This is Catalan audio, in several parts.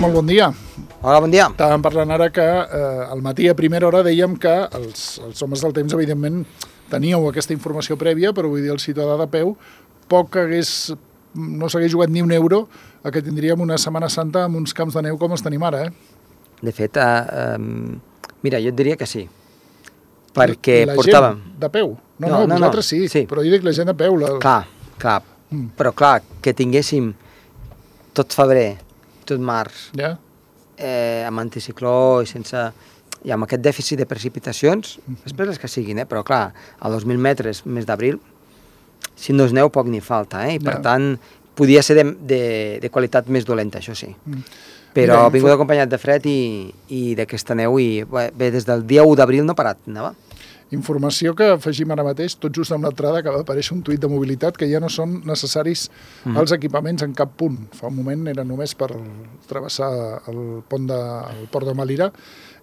molt bon dia. Hola, bon dia. Estàvem parlant ara que al matí a primera hora dèiem que els homes del temps, evidentment, teníeu aquesta informació prèvia, però vull dir, el ciutadà de peu no s'hagués jugat ni un euro a que tindríem una Setmana Santa amb uns camps de neu com els tenim ara, De fet, mira, jo et diria que sí, perquè la portàvem... gent de peu? No, vosaltres sí, però jo dic la gent de peu. Clar, però clar, que tinguéssim tot febrer, tot març, amb anticicló i sense... I amb aquest dèficit de precipitacions, després les que siguin, però clar, a 2.000 metres, mes d'abril, si no és neu, poc ni falta, i per tant, podia ser de qualitat més dolenta, això sí. Però ha vingut acompanyat de fred i d'aquesta neu, i bé, des del dia 1 d'abril no ha parat, anava. Informació que afegim ara mateix, tot just amb l'entrada acaba d'aparèixer un tuit de mobilitat que ja no són necessaris els equipaments en cap punt. Fa un moment era només per travessar el port de Malira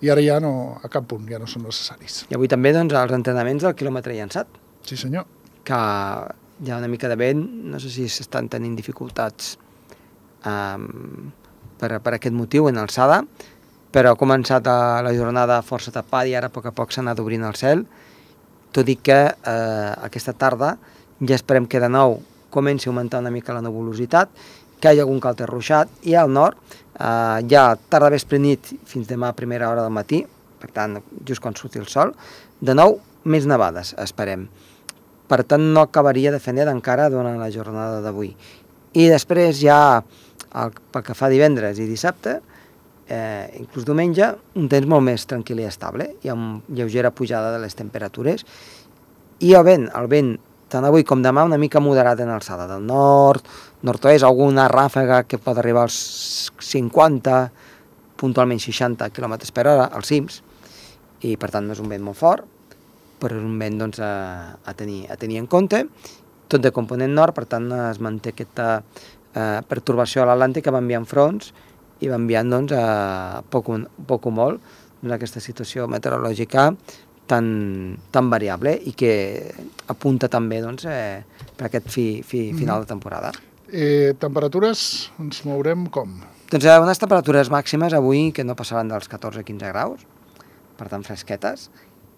i ara ja no, a cap punt, ja no són necessaris. I avui també, doncs, els entrenaments del quilòmetre llançat. Sí, senyor. Que hi ha una mica de vent, no sé si s'estan tenint dificultats per aquest motiu en alçada, però ha començat la jornada força tapada i ara a poc s'ha anat obrint el cel, tot i que aquesta tarda ja esperem que de nou comenci a augmentar una mica la nebulositat, que hi hagi algun calter ruixat, i al nord ja tarda vespre nit fins demà a primera hora del matí, per tant, just quan surti el sol, de nou més nevades, esperem. Per tant, no acabaria de fer net encara durant la jornada d'avui. I després ja, pel que fa divendres i dissabte, inclús diumenge, un temps molt més tranquil i estable, i amb lleugera pujada de les temperatures, i el vent, tant avui com demà, una mica moderat en alçada del nord, nord-oest, alguna ràfega que pot arribar als 50, puntualment 60 km per hora, als cims, i per tant no és un vent molt fort, però és un vent doncs, a tenir en compte, tot de component nord, per tant es manté aquesta pertorbació a l'Atlàntic que va enviant fronts, i va enviant, doncs, poc o molt, aquesta situació meteorològica tan variable i que apunta també, doncs, per aquest final de temporada. Temperatures ens mourem com? Doncs unes temperatures màximes avui que no passaran dels 14-15 graus, per tant fresquetes,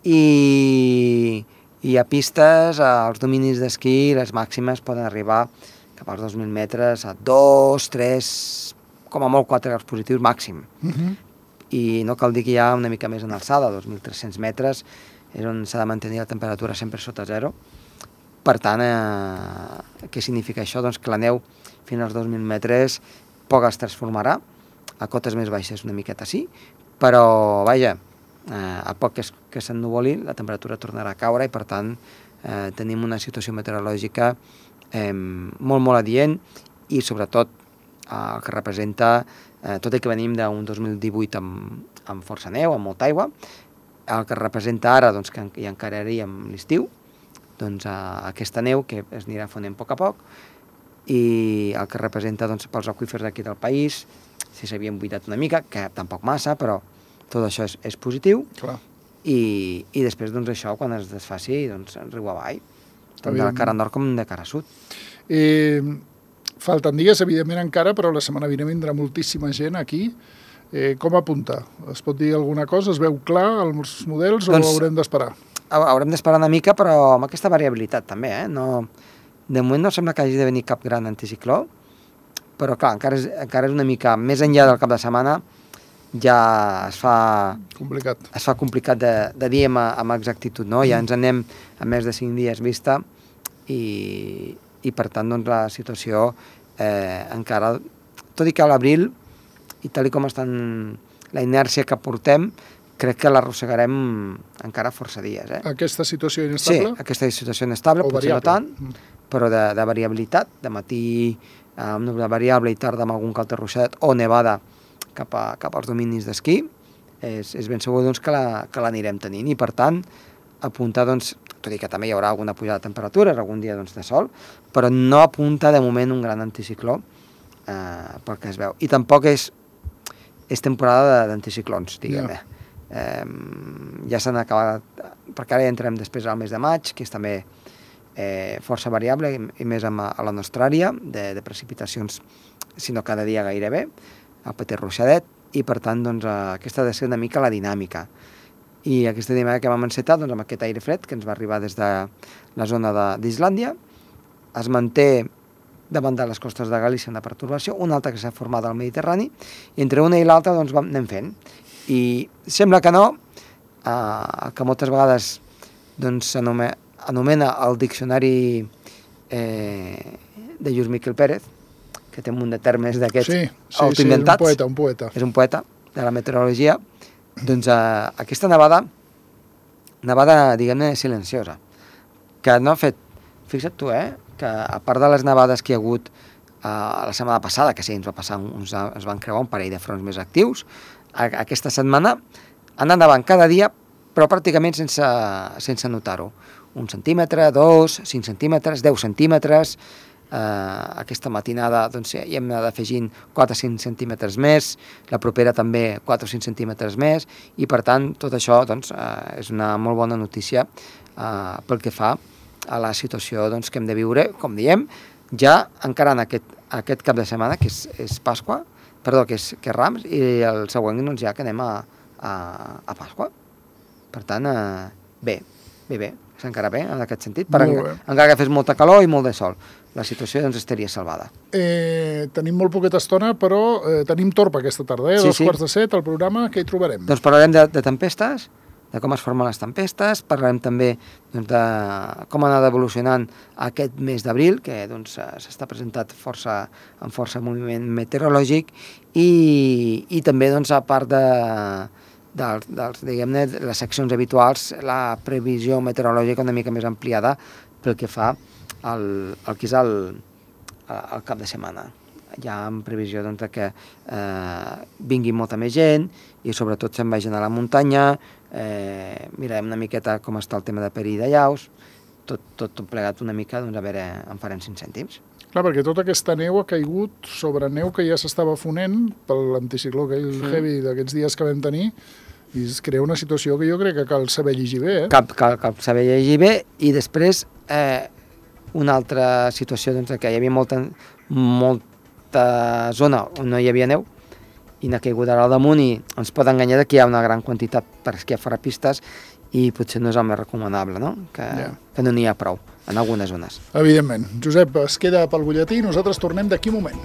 i a pistes, als dominis d'esquí, les màximes poden arribar cap als 2.000 metres a 2, 3, com a molt 4 graus positius màxim. I no cal dir que hi ha una mica més en alçada, 2.300 metres, és on s'ha de mantenir la temperatura sempre sota zero. Per tant, què significa això? Doncs que la neu fins als 2.000 metres poc es transformarà, a cotes més baixes una miqueta sí, però, vaja, a poc que s'ennuvoli la temperatura tornarà a caure i, per tant, tenim una situació meteorològica molt adient i, sobretot, el que representa, tot i que venim d'un 2018 amb força neu, amb molta aigua, el que representa ara, doncs, que hi encararíem l'estiu, doncs, aquesta neu que es anirà fonent a poc, i el que representa, doncs, pels aqüífers d'aquí del país, si s'havien buidat una mica, que tampoc massa, però tot això és positiu. Clar. I després, doncs, això, quan es desfaci, doncs, riu avall, tant de la cara nord com de cara sud. Falten dies, evidentment, encara, però la setmana vinent vindrà moltíssima gent aquí. Com apunta? Es pot dir alguna cosa? Es veu clar els models o haurem d'esperar? Haurem d'esperar una mica, però amb aquesta variabilitat també. De moment no sembla que hagi de venir cap gran anticicló, però clar, encara és una mica més enllà del cap de setmana, ja es fa complicat de dir amb exactitud, no? Ja ens anem a més de 5 dies vista i per tant, doncs, la situació encara, tot i que a l'abril, i tal com està la inèrcia que portem, crec que l'arrossegarem encara força dies. Aquesta situació inestable? Sí, aquesta situació inestable, potser no tant, però de variabilitat, de matí amb núvol variable i tarda amb algun calter ruixat o nevada cap als dominis d'esquí, és ben segur, doncs, que l'anirem tenint, i per tant apuntar, doncs, tot i que també hi haurà alguna pujada de temperatures, algun dia, doncs, de sol, però no apunta de moment un gran anticicló pel que es veu. I tampoc és temporada d'anticiclons, diguem-ne. Ja s'han acabat, perquè ara ja entrem després al mes de maig, que és també força variable, i més a la nostra àrea, de precipitacions, si no cada dia gairebé, el petit ruixadet, i per tant doncs, aquesta ha de ser una mica la dinàmica. I aquesta dinàmica que vam encetar doncs, amb aquest aire fred que ens va arribar des de la zona d'Islàndia, es manté davant de les costes de Galícia una pertorbació, una altra que s'ha format al Mediterrani, i entre una i l'altra doncs, anem fent. I sembla que no, que moltes vegades doncs, anomena el diccionari de Lluís Miquel Pérez, que té un munt de termes d'aquests autoinventats. Sí, un poeta. És un poeta de la meteorologia. Doncs aquesta nevada, diguem-ne, silenciosa, que no ha fet, fixa't tu, que a part de les nevades que hi ha hagut la setmana passada, que sí, ens van creuar un parell de fronts més actius, aquesta setmana han anat nevant cada dia, però pràcticament sense notar-ho. 1 centímetre, 2, 5 centímetres, 10 centímetres. Aquesta matinada doncs, hi hem anat afegint 4 o 5 centímetres més, la propera també 4 o 5 centímetres més, i per tant tot això doncs, és una molt bona notícia pel que fa a la situació doncs, que hem de viure, com diem, ja encarant aquest cap de setmana, que és Pasqua, perdó, que és Rams, i el següent doncs, ja que anem a Pasqua. Per tant, bé, s'encara bé en aquest sentit, encara que fes molta calor i molt de sol. La situació doncs estaria salvada. Tenim molt poqueta estona, però tenim torba aquesta tarda, Sí, 2:45, el programa, què hi trobarem? Doncs parlarem de tempestes, de com es formen les tempestes, parlarem també doncs, de com ha anat evolucionant aquest mes d'abril, que doncs, s'està presentat amb força moviment meteorològic, i també, doncs, a part diguem-ne, les seccions habituals, la previsió meteorològica una mica més ampliada pel que fa al que és el cap de setmana. Hi ha previsió doncs, que vingui molta més gent i sobretot se'n vagin a la muntanya, mirarem una miqueta com està el tema de perill de llaus, tot plegat una mica, doncs a veure, en farem 5 cèntims. Clar, perquè tota aquesta neu ha caigut sobre neu que ja s'estava fonent per l'anticicló heavy d'aquests dies que vam tenir, i es crea una situació que jo crec que cal saber llegir bé. Cal saber llegir bé, i després una altra situació doncs, que hi havia molta zona on no hi havia neu i n'ha caigut ara al damunt, i ens pot enganyar que hi ha una gran quantitat per esquiar fora pistes, i potser no és el més recomanable, no? Que no n'hi ha prou en algunes zones. Evidentment. Josep, es queda pel butlletí i nosaltres tornem d'aquí un moment.